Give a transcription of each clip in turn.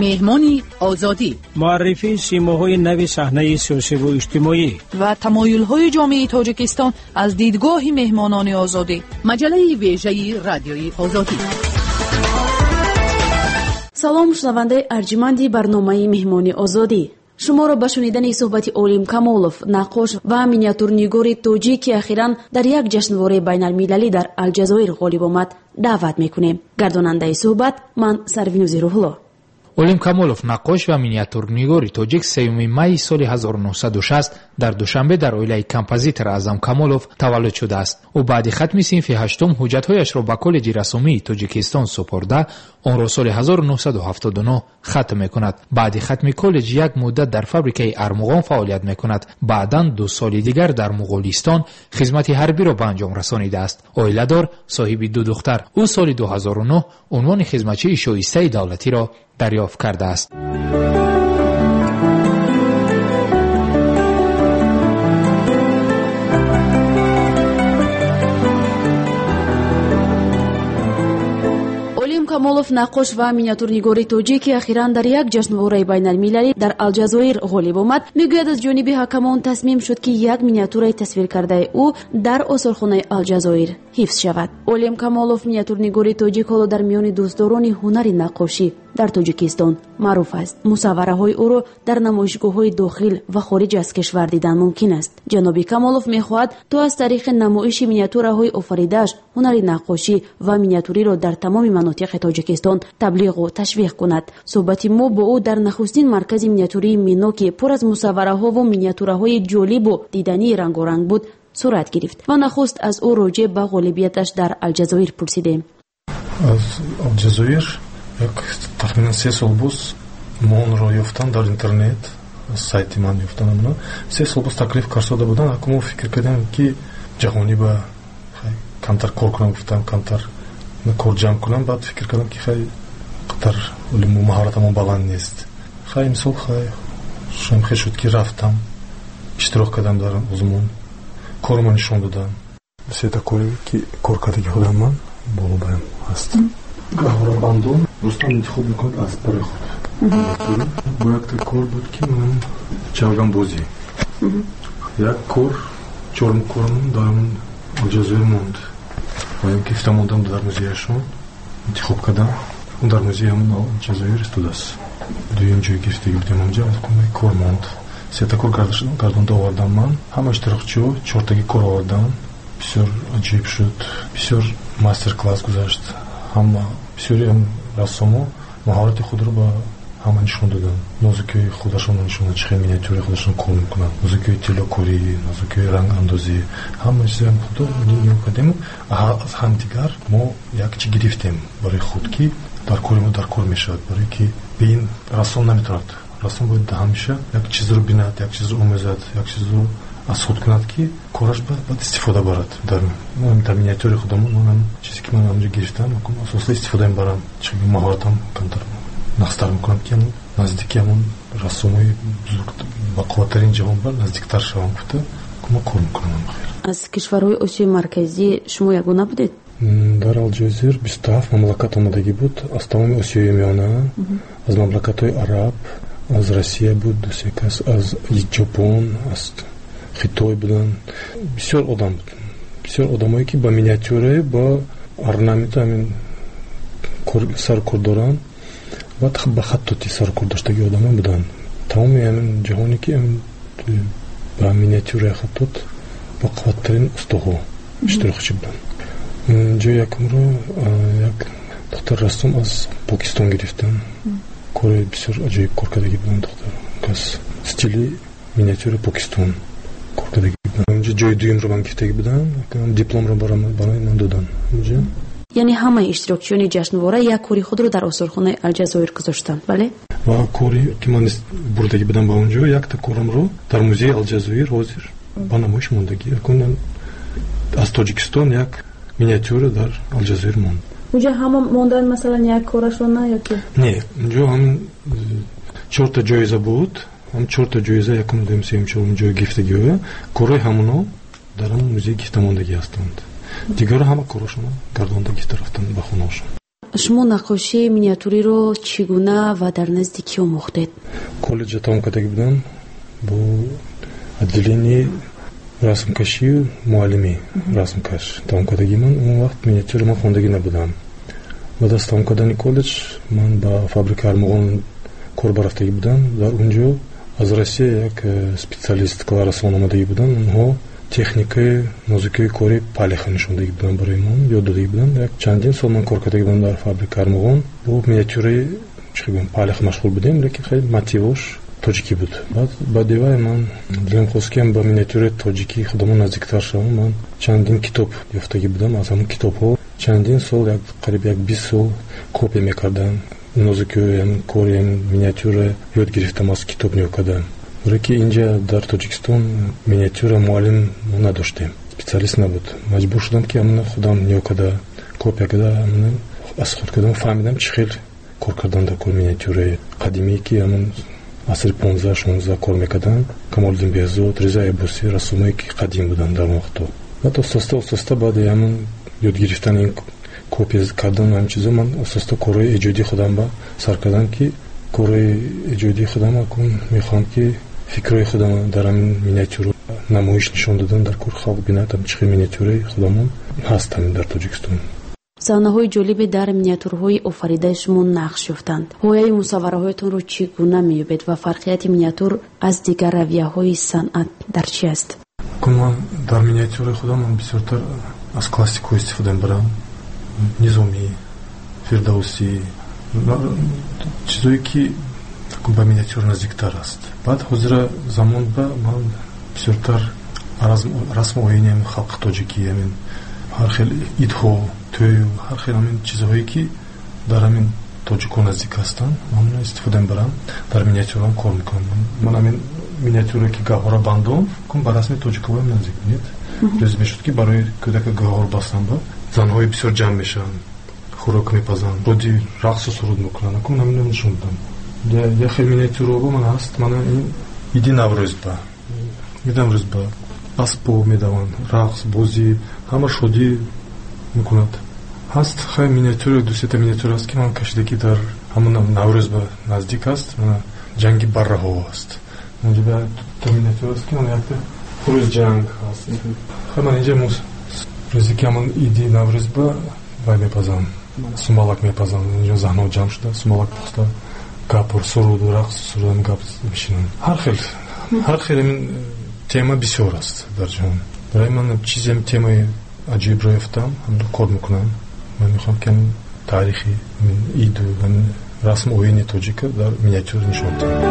Меҳмони Озодӣ. Муаррифии симоҳои нави саҳнаи сиёсиву иҷтимоӣ ва тамоюлҳои ҷомеаи Тоҷикистон аз дидгоҳи меҳмонони Озодӣ. Маҷаллаи вежаи Радиои Озодӣ. Салом, шунавандаи арҷманди барномаи Меҳмони Озодӣ. Шуморо ба шунидани суҳбати Олим Камолов, наққош ва миниатюрнигори тоҷик, ки ахиран дар як ҷашнвораи байналмилалӣ дар Алҷазоир ғолиб омад, даъват мекунем. Гардонандаи суҳбат ман Сарвинӯзи Рӯҳулло. Олим Камолов, наққош ва миниатюрнигори тоҷик, 3 майи соли 1960 дар Душанбе дар оилаи композитор Аъзам Камолов таваллуд шудааст. Ӯ баъди хатми синфи ҳаштум ҳуҷҷатҳояшро ба Коллеҷи расомии Тоҷикистон супорда, онро соли 1979 хатм мекунад. Баъди хатми коллеҷ як муддат дар фабрикаи Армуғон фаъолият мекунад. Баъдан 2 соли дигар дар Муғулистон хизмати ҳарбиро ба анҷом расонидааст. Оиладор, соҳиби 2 духтар. Ӯ соли 2009 унвони хизматчии шоистаи давлатиро дарёфт кардааст. Олим Камолов, наққош ва миниатюрнигори тоҷик, ки ахиран дар як ҷашнвораи байналмилалӣ дар Алҷазоир ғолиб омад, мегӯяд, аз ҷониби ҳакамон тасмим шуд, ки як миниатюраи тасвиркардаи ӯ дар осорхонаи Алҷазоир ҳифз шавад. Олим Камолов, миниатюрнигори тоҷик, ҳоло дар миёни дӯстдорони ҳунари наққошӣ дар Тоҷикистон маъруф аст. Мусаввараҳои ӯро дар намоишгоҳҳои дохил ва хориҷ аз кишвар дидан мумкин аст. Ҷаноби Камолов мехоҳад то аз тариқи намоиши миниатюраҳои офаридааш ҳунари наққошӣ ва миниатюриро дар тамоми манотиқи Тоҷикистон таблиғу ташвиқ кунад. Суҳбати мо бо ӯ дар нахустин маркази миниатюрии Мино, ки пур аз мусаввараҳову миниатюраҳои ҷолибу дидании рангоранг буд, сурат гирифт ва нахуст аз ӯ роҷеъ ба ғолибияташ дар Алҷазоир пурсидем. Аз Алҷазоир як тахминан 3 сол боз мо онро ёфтам дар интернет, сайти ман ёфтам онро. 3 сол боз таклиф карсода будам, аку мо фикр кардем, ки ҷаҳонӣ ба камтар кор кунам, гуфтам камтар кор ҷамъ кунам. Баъд фикр кардам, ки хай қадар олиму маҳоратамон баланд нест. Хай имсол хай шум хел шуд, ки рафтам, иштирок кардам дар озмун, кормо нишон додам. Сета коре, ки кор кардаги худам ман боло баям ҳаст. Гаҳворабандон Рустам интихоб мекунад аз барои худ. Бо якта кор буд, ки ман чавганбозӣ. Як кор, чорум корам дар Алҷазоир монд. Ва ин гифта мондам дар музеяшон интихоб кардам. Он дар музеи ҳамон Алҷазоир истодааст. Дуюм ҷой гирифтагӣ будем онҷа, кор монд. Сета кор гардонда овардам ман. Ҳама иштирокчиҳо чортаги кор овардам. Бисёр аҷиб шуд. Бисёр мастер-класс гузашт. Ҳама бисёри рассомо маҳорати худро ба ҳама нишон доданд. Нозукиҳои худашонро нишон доданд, чӣ хел миниатюраи худашон кор мекунанд, нозукиҳои тиллокорӣ, нозукиҳои рангандозӣ, ҳама чизам худо нигоҳ кардем. Аз ҳамдигар мо як чи гирифтем барои худ, ки дар кори мо дар кор мешавад, барои ки бе ин рассом наметавонад. Рассом бояд ҳамеша як чизро бинад, як чизро омӯзад, як чизро аз худ кунад, ки кораш баъд истифода барад. Дар миниатюри худамон ман чизе, ки ман ҳамҷо гирифтам, асоса истифода мебарам. Чӣ маҳоратам камтар нақстар мекунам, ки наздики ҳамон рассомои бузург ба қувваттарин ҷаҳон бар наздиктар шавам гуфта ма кор мекунам. Аз кишварҳои Осиёи Марказӣ шумо ягона будед? Дар Алҷазоир 27 мамлакат омадагӣ буд, аз тамоми Осиёи Миёна, аз мамлакатҳои араб, аз Россия буд ду-се кас, аз Ҷопон, аз Хитой буданд. Бисёр одам буд, бисёр одамое, ки ба миниатюра, ба орнамент ҳамин саркор доранд ва ба хаттоти саркор доштаги одамон буданд. Тамоми ҳамин ҷаҳоне, ки ба миниатюраи хаттот ба қувваттарин устоҳо иштирокчӣ буданд. Ҷои якумро як духтар рассом аз Покистон гирифтанд. Кори бисёр аҷоиб кор кардагӣ буданд духтар. Кас стили миниатюраи Покистон кор кардагӣ буданд. Онҷо ҷои дуюмро ман гирифтагӣ будам, дипломро барои ман доданд. Онҷо яъне ҳамаи иштирокчиёни ҷашнвора як кори худро дар осорхонаи Алҷазоир гузоштанд, бале? Ва кори, ки ман бурдагӣ будам ба онҷо, якта корамро дар музеи Алҷазоир ҳозир ба намоиш мондагӣ. Аз Тоҷикистон як миниатюра дар Алҷазоир монд. Унҷо ҳама монданд, масалан, як корашон на ё ки? Не, унҷо ҳам чорта ҷоиза буд. Ҳам чорта ҷоиза, якум, дуюм, сеюм, чорум ҷой гирифтагиҳоя. Корҳои ҳамоно дар ҳамон музей гирифта мондагӣ ҳастанд. Дигарро ҳама корашонро гардонда гирифта рафтанд ба хонаашон. Шумо наққошии миниатюриро чӣ гуна ва дар назди кӣ омӯхтед? Коллеҷа тамом кардагӣ будам бо отделении расмкашию муаллимӣ расмкаш тамом кардагӣ. Ман он вақт миниатюра ман хондагӣ набудам. Баъд аз тамом кардани коллеҷ ман ба фабрика Армуғон кор барафтагӣ будам. Дар он ҷо аз Россия як специалист Кларасон омадагӣ буданд. Онҳо техникаи нозукии кори палиха нишондагӣ буданд барои ман, ёд додагӣ буданд. Як чандин сол ман кор кардагӣ будам дар фабрика Армуғон. Бо миниатюраи палиха машғул будем, лекин хеле мотивош тоҷикӣ буд. Баъд баъди вай ман дилам хост, ки ба миниатюраи тоҷикӣ худамон наздиктар шавам. Ман чандин китоб ёфтагӣ будам. Аз ҳамон китобҳо чандин сол, як қариб як 20 сол копия мекардам. Нозукиҳои кори миниатюра ёд гирифтам аз китоб нигоҳ кардан. Барое ки инҷа дар Тоҷикистон миниатюра муаллим мо надоштем, специалист набуд. Маҷбур шудам, ки ҳамона худам нигоҳ карда, копия карда, ҳамона аз худ кардам, фаҳмидам, чӣ хел кор кардан дар кори миниатюраи қадимие, ки ҳамон асри 15-16 кор мекарданд. Камолиддин Беҳзод, Риза Аббосӣ, рассомое ки қадим буданд дар он вақтҳо. Баъд оста оста баъди ҳамон ёд гирифтани ин копия кардан ҳамин чизо ман оста корҳои эҷодии худам ба сар кардам, ки корҳои эҷодии худам акун мехоҳам, ки фикрҳои худам дар ҳамин миниатюра намоиш нишон додан дар кор, халқ бинад чӣ хел миниатюраи худамон ҳаст ҳамин дар Тоҷикистон. Саҳнаҳои ҷолибе дар миниатюрҳои офаридаи шумо нақш ёфтанд. Ҳояи мусаввараҳоятонро чӣ гуна меёбед ва фарқияти миниатюр аз дигар равияҳои санъат дар чӣ аст? Кун ман дар миниатюраи худам ман бисёртар аз классикҳо истифода мебарам. Низомӣ, Фирдавсӣ, чизое ки ба миниатюра наздиктар аст. Баъд ҳозира замон ба ман бисёртар расму оини ҳамин халқи тоҷикӣ, ҳамин ҳар хел идҳо, тӯю ҳар хел ҳамин чизҳое ки дар ҳамин тоҷикҳо наздик ҳастанд, ман истифода мебарам, дар миниатюраам кор мекунам. Ман ҳамин миниатюра ки гаҳвора бандом, кун ба расми тоҷикҳоам наздик бинед. Рӯз мешуд, ки барои кӯдака гаҳвора бастан ба занҳои бисёр ҷамъ мешаванд, хӯрок мепазанд, роди рақсу суруд мекунанд. Кун ҳамин нишон додам. Як хел миниатюраҳо ман ҳаст, мана ин иди Наврӯз ба иди Наврӯз ба аспо медаванд, рақс, бозӣ, ҳама шодӣ мекунад. Ҳаст хай миниатюра, ду сета миниатюра аст, ки ман кашидагӣ дар ҳамон Наврӯз ба наздик аст. Мана ҷанги барраҳо аст. Инҷа та миниатюра аст, ки мана якта хурӯз ҷанг ҳаст. Хай ман инҷа рӯзе ки ҳамон иди Наврӯз ба вай мепазам, сумалак мепазам. Инҷо занҳо ҷамъ шуда сумалак пухта, гапур, суруду рақс, сурудам гап мешинанд. Ҳар хел ҳамин тема бисёр аст дар ҷаҳон. Барои ман чизе темаи аҷоибро ёфтам, ҳамин кор мекунам. Ман мехоҳам, ки ҳамин таърихи ҳамин иду ҳамин расму оини тоҷика дар миниатюра нишон диҳам.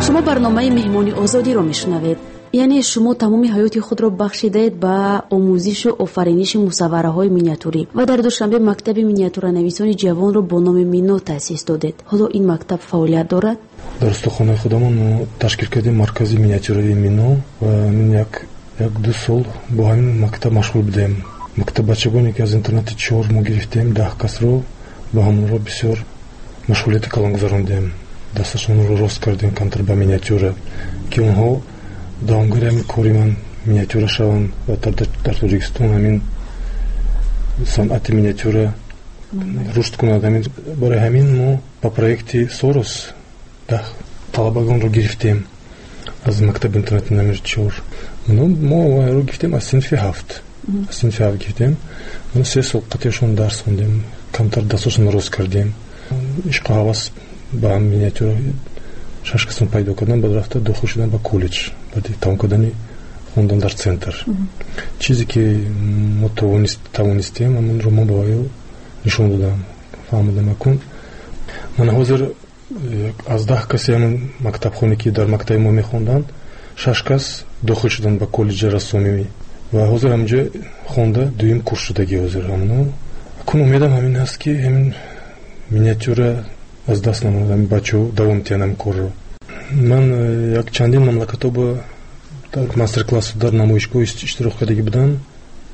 Шумо барномаи Меҳмони Озодиро мешунавед. Яъне шумо тамоми ҳаёти худро бахшидаед ба омӯзишу офариниши мусаввараҳои миниатюрӣ ва дар Душанбе мактаби миниатюранависони ҷавонро бо номи Мино таъсис додед. Ҳоло ин мактаб фаъолият дорад? Дар устохонаи худамон мо ташкил кардем маркази миниатюраи Мино ва ҳамин як ду сол бо ҳамин мактаб машғул будем. Мактаб бачагоне ки аз интернати 4 мо гирифтем, 10 касро, ба ҳамонро бисёр машғулияти калон гузарондем. Дасташонро рост кардем камтар ба миниатюра, ки онҳо давомгари ҳамин кори ман миниатюра шаванд ва дар Тоҷикистон ҳамин санъати миниатюра рушд кунад. Барои ҳамин мо ба проекти Сорос 10 талабагонро гирифтем аз мактаби интернати номер 4. Мо онро гирифтем аз синфи 7. Аз синфи 7 гирифтем. Мо 3 сол қатъиашон дарс хондем, камтар дастошонро рост кардем. Ишқу ҳавас ба миниатюра 6 касон пайдо кардам, баъд рафта дохил шудам ба коллеҷ, баъди тамом кардани хондан дар центр. Чизе ки мо тавонистем, ҳамонро мо ба вай нишон додам, фаҳмодам. Акун ман ҳозир аз 10 каси ҳамон мактабхоне ки дар мактаби мо мехонданд, 6 кас дохил шуданд ба коллеҷи рассомӣ ва ҳозир ҳамҷо хонда дуюм курс шудагӣ ҳозир ҳамоно. Акун умедам ҳамин аст, ки ҳамин миниатюра аз даст намонад, ҳамин бачаҳо давом диҳанд ҳамин корро. Ман як чандин мамлакатҳо ба дар мастер-классу дар намоишгоҳ иштирок кардагӣ будам.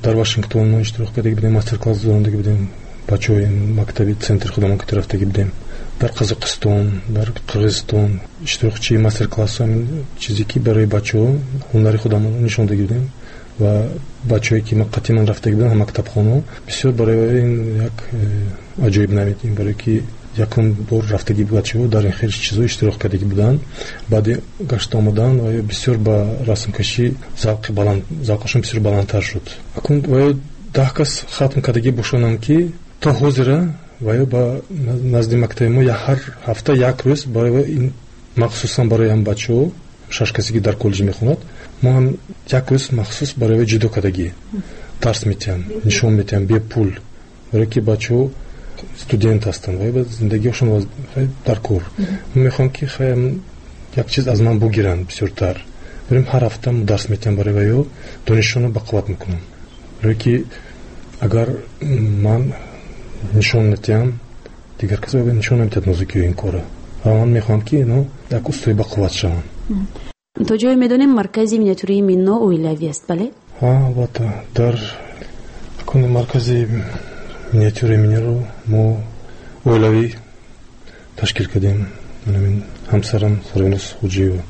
Дар Вашингтон мо иштирок кардагӣ будем, мастер-класс гузарондагӣ будем. Бачаҳои мактаби центри худамон ки рафтагӣ будем. Дар Қазоқистон, дар Қирғизистон иштирокчии мастер-классҳо, чизе ки барои бачаҳо ҳунари худамонро нишон дода будем ва бачаҳое ки қатъи ман рафтагӣ буданд мактабхонаҳо, бисёр барои ин як аҷоиб намед, ин барое ки якум бор рафтагӣ бачаҳо дар ин хел чизҳо иштирок кардагӣ буданд. Баъди гашта омадан ва бисёр ба расмкашӣ завқи баланд, завқашон бисёр баландтар шуд. Акун ва 10 кас хатм кардагӣ бошонам ки то ҳозира ва ё ба назди мактаби мо ҳар ҳафта як рӯз барои ин махсусан барои ҳам бачаҳо, 6 касе ки дар коллеҷ мехонад, мо ҳам як рӯз махсус барои ҷудо кардагӣ дарс метиҳам, нишон метиҳам бепул, барое ки бачаҳо студент ҳастанд ва зиндагиашон дар кор. Мехоҳам ки як чиз аз ман бугиранд бисёртар. Барем ҳар ҳафта дарс метиҳам барои ва ё донишшонро бақувват мекунам, барое ки агар ман нишон натиҳам, дигар кас нишон наметиҳад нозукиҳои ин кора. Ва ман мехоҳам ки ино як устои бақувват шаванд. То ҷое медонем, маркази миниатюраи Мино оилавӣ аст, бале? Ҳа, албатта. Дар куни маркази миниатюраи Миноро мо оилавӣ ташкил кардем. Ҳамсарам Сарвинос Хуҷиева,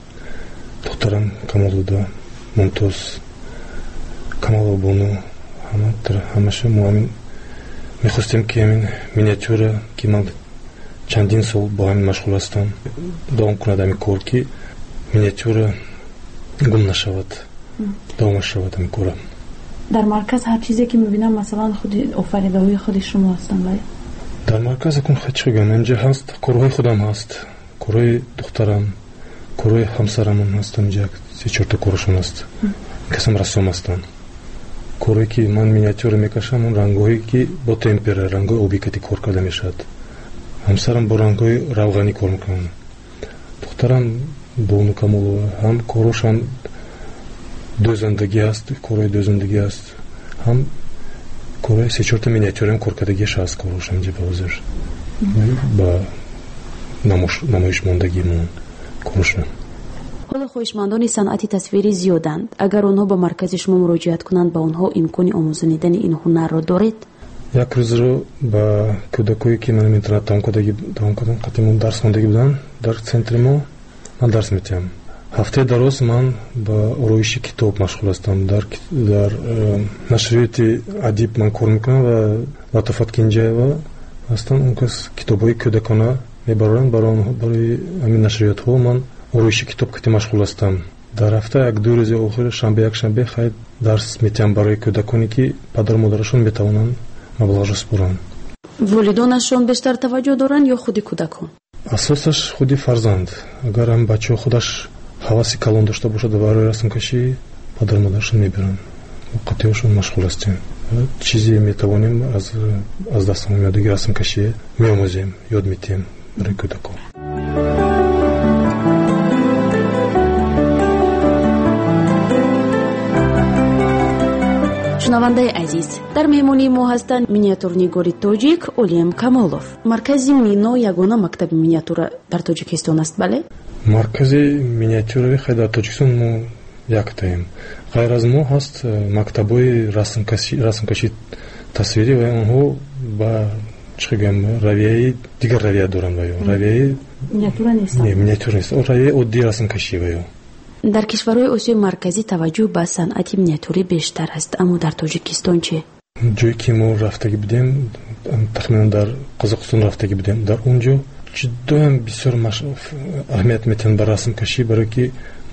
духтарам Камолзода Мумтоз, Камолова Бону, ҳамаша мо ҳамин мехостем ки ҳамин миниатюра, ки ман чандин сол бо ҳамин машғул ҳастам, давом кунад ҳамин кор, ки миниатюра гум нашавад, давом шавад ҳамин кора. Дар марказ ҳар чизе ки мебинам, масалан, худи офаридаҳои худи шумо ҳастанд, бале? Дар марказ акун чӣ гӯям, инҷа ҳаст корҳои худам ҳаст, корҳои духтарам, корҳои ҳамсарамон ҳастанд, инҷа 3-4 та корашон ҳаст. Касам рассом ҳастанд. Корҳое ки ман миниатюра мекашам, он рангҳое ки бо темпера, рангҳои обӣ кати кор карда мешавад. Ҳамсарам бо рангҳои равғанӣ кор мекунад. Духтарам Бону Камолова ҳам корҳош ҳам дӯзандагӣ ҳаст, корҳои дӯзандагӣ ҳаст, ҳам корҳои 3-4 та миниатюраам кор кардагиаш ҳаст, корҳош ҳамҷа ба ҳозир ба намоиш мондагимон корҳошон. Ҳоло хоҳишмандони санъати тасвирӣ зиёданд. Агар онҳо ба маркази шумо муроҷиат кунанд, ба онҳо имкони омӯзонидани ин ҳунарро доред? Як рӯзро ба кӯдакое ки ман интернат тамом кардам, қатъи дарс хондагӣ буданд, дар центри мо ман дарс метиҳам. Ҳафтаи дароз ман ба ороиши китоб машғул ҳастам. Дар нашриёти Адиб ман кор мекунам ва Латофат Кинҷаева ҳастанд. Он кас китобҳои кӯдакона мебароранд. Барои ҳамин нашриётҳо ман ороиши китоб кати машғул ҳастам. Дар ҳафта 1-2 рӯзи охир, шанбе, якшанбе, хайр дарс метиҳам барои кӯдаконе ки падару модарашон метавонанд маблағро супоранд. Волидонашон бештар таваҷҷӯҳ доранд ё худи кӯдакон? Асосаш худи фарзанд. Агар ҳам бачаҳо худаш ҳаваси калон дошта бошад барои расмкашӣ, падару модарашон мебаранд. Қатъиашон машғул ҳастем. Чизе метавонем аз дастамон меояд, расмкашӣ меомӯзем, ёд метиҳем барои кӯдакон. Шунавандаи азиз, дар меҳмонии мо ҳастанд миниатюрнигори тоҷик Олим Камолов. Маркази Мино ягона мактаби миниатюра дар Тоҷикистон аст, бале? Маркази миниатюраи хай дар Тоҷикистон мо яктаем. Ғайр аз мо ҳаст мактабҳои расмкашӣ тасвирӣ ва онҳо ба чӣ гӯям, равияи дигар равия доранд ва ё равияи миниатюра нест. Не, миниатюра нест. Равияи оддии расмкашӣ ва ё. Дар кишварҳои Осиёи Марказӣ таваҷҷӯҳ ба санъати миниатюрӣ бештар аст, аммо дар Тоҷикистон чӣ? Ҷое ки мо рафтагӣ будем, тахминан дар Қазоқистон рафтагӣ будем, дар он ҷо ҷудоям бисёр аҳамият метиҳанд ба расмкашӣ, барое ки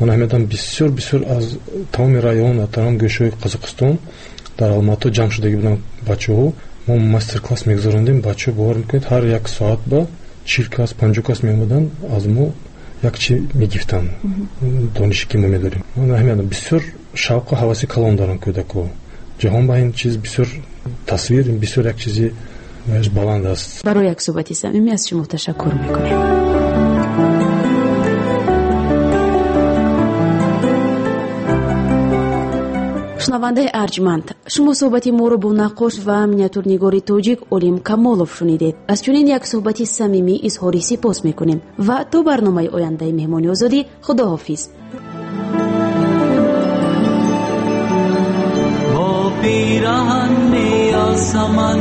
ман аҳамиятам бисёр бисёр аз тамоми район ва тамоми гӯшаҳои Қазоқистон дар Алмато ҷамъ шудагӣ буданд бачаҳо. Мо мастер-класс мегузарондем, бачаҳо бовар мекунед, ҳар як соат ба 40 кас, 50 кас меомаданд, аз мо як чи мегифтанд, донише ки мо медорем. Ман аҳамиятам бисёр шавқу ҳаваси калон доранд кӯдакҳо. Ҷаҳон ба ин чиз бисёр тасвир, бисёр як чизи баланд аст. Барои як суҳбати самимӣ аз шумо ташаккур мекунем. Шунавандаи арҷманд, шумо суҳбати моро бо наққош ва миниатюрнигори тоҷик Олим Камолов шунидед. Аз чунин як суҳбати самимӣ изҳори сипос мекунем ва то барномаи ояндаи меҳмони озодӣ худоҳофиз. Бо пираҳан меясаман